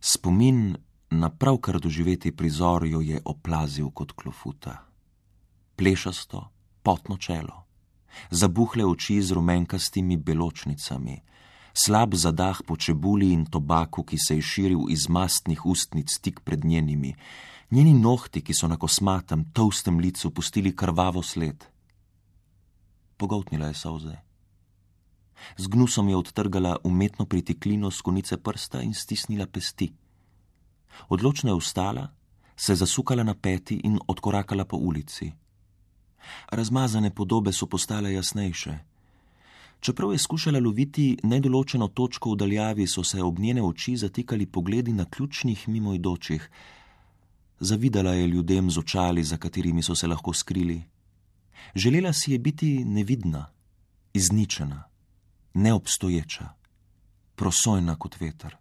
Spomin na pravkar doživeti prizor jo je oplazil kot klofuta. Plešasto, potno čelo, zabuhle oči z rumenkastimi beločnicami, slab zadah po čebuli in tobaku, ki se je širil iz mastnih ustnic tik pred njenimi, njeni nohti, ki so na kosmatem, tolstem licu pustili krvavo sled. Pogoltnila je solze. Z gnusom je odtrgala umetno pritiklino s konice prsta in stisnila pesti. Odločno je vstala, se zasukala na peti in odkorakala po ulici. Razmazane podobe so postale jasnejše. Čeprav je skušala loviti nedoločeno točko v daljavi, so se ob njene oči zatikali pogledi na ključnih mimoidočih. Zavidala je ljudem z očali, za katerimi so se lahko skrili. Želela si je biti nevidna, izničena, neobstoječa, prosojna kot veter.